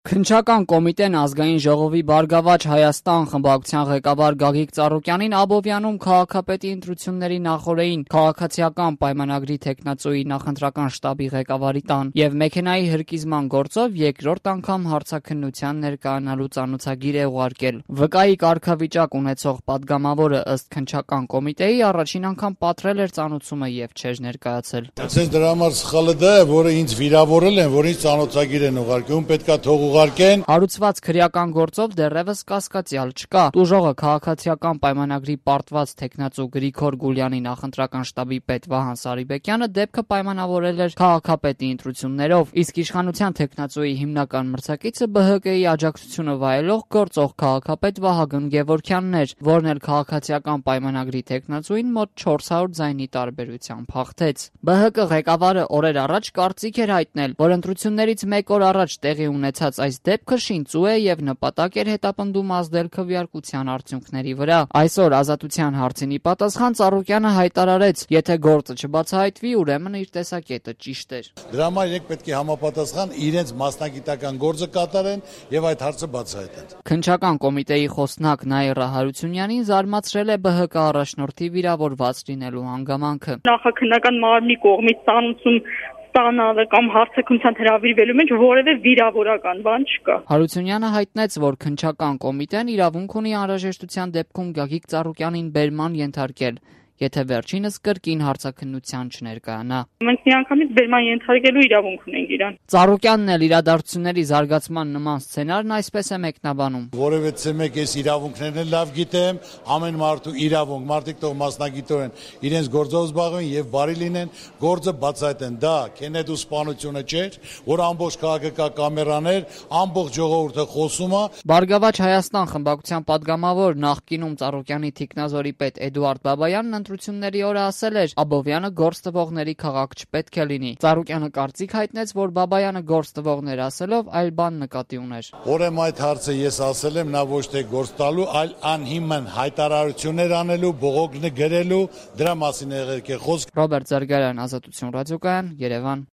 Քննչական կոմիտեն ազգային ժողովի Բարգավաճ Հայաստան խմբակցության ղեկավար Գագիկ Ծառուկյանին Աբովյանում քաղաքապետի ընտրությունների նախօրեին քաղաքացիական պայմանագրի թեկնածուի նախընտրական շտաբի ղեկավարի տան եւ մեքենայի հրկիզման գործով երկրորդ անգամ հարցաքննության ներկայանալու ծանոթագիր է ուղարկել։ ՎԿ-ի կարգավիճակ ունեցող падգամավորը ըստ քննչական կոմիտեի առաջին անգամ պատրել էր ծանոթումը եւ չէր ներկայացել։ Այսինքն դրա համար սխալը դա է, որը ինձ վիրավորել են, որ ինձ ծանոթագիր են ուղարկում, պետքա թող ուղարկեն։ Հարուցված քրեական գործով դեռևս կասկածյալ չկա։ Տուժողը քաղաքացիական պայմանագրի պարտված թեկնածու Գրիգոր Գուլյանի նախընտրական շտաբի պետ Վահան Սարիբեկյանը դեպքը պայմանավորել էր քաղաքապետի ընտրություններով, իսկ իշխանության թեկնածուի հիմնական մրցակիցը ԲՀԿ-ի աջակցությունը վայելող գործող քաղաքապետ Վահագն Գևորգյանն էր, որն էլ քաղաքացիական պայմանագրի թեկնածուին մոտ 400 ձայնի տարբերությամբ հաղթեց։ ԲՀԿ ղեկավարը օրեր առաջ կարծիք էր հայտնել, որ ընտրություններից մեկ օր առաջ տեղի ունեցած այս դեպքը շինծու է եւ նպատակ էր հետապնդում ազդել քվեարկության արդյունքների վրա։ Այսօր Ազատության հարցին ի պատասխան Ծառուկյանը հայտարարեց, եթե գործը չբացահայտվի, ուրեմն իր տեսակետը ճիշտ էր։ Դրա համար իրենք պետք է համապատասխան իրենց մասնագիտական գործը կատարեն եւ այդ հարցը բացահայտեն։ Քննչական կոմիտեի խոսնակ Նաիրա Հարությունյանին զարմացրել է ԲՀԿ առաջնորդի վիրավորված լինելու հանգամանքը։ Նախաքննական մարմնի կողմից ծանոթություն ստանալը կամ հարցաքննության հրավիրվելու մեջ որևէ վիրավորական բան չկա։ Հարությունյանը հայտնեց, որ քննչական կոմիտեն իրավունք ունի անհրաժեշտության դեպքում Գագիկ Ծառուկյանին բերման ենթարկել, եթե վերջինս կրկին հարցաքննության չներկայանա։ Մենք միանգամից բերման ենթարկելու իրավունք ունենք իրան։ Ծառուկյանն էլ իրադարձությունների զարգացման նման սցենարն այսպես է մեկնաբանում։ Որևէ մեկ ես իրավունքներն էլ լավ գիտեմ, ամեն մարդու իրավունք, մարդիկ թող մասնագիտորեն իրենց գործով զբաղվեն եւ բարի լինեն, գործը բացահայտեն։ Դա Քենեդու սպանությունը չէր, որ ամբողջ քաղաքը կա կամերաներ, ամբողջ ժողովուրդը խոսում է։ Բարգավաճ Հայաստան խմբակցության падգամավոր նախկինում Ծառուկյանի թիկնազորի պետ Էդուարդ Բաբայանն ընտրությունների օրը ասել էր, Աբովյանը գործ տվողների քաղաք չպետք է լինի։ Ծառուկյանը կարծիք հայտնեց, որ Բաբայանը գործ տվողներ ասելով այլ բան նկատի ուներ։ Ուրեմն այդ հարցը ես ասել եմ, նա ոչ թե գործ տալու, այլ անհիմն հայտարարություններ անելու, բողոքներ գրելու, դրա մասին եղել է խոսք։ Ռոբերտ Զարգարյան, Ազատություն ռադիոկայան, Երևան։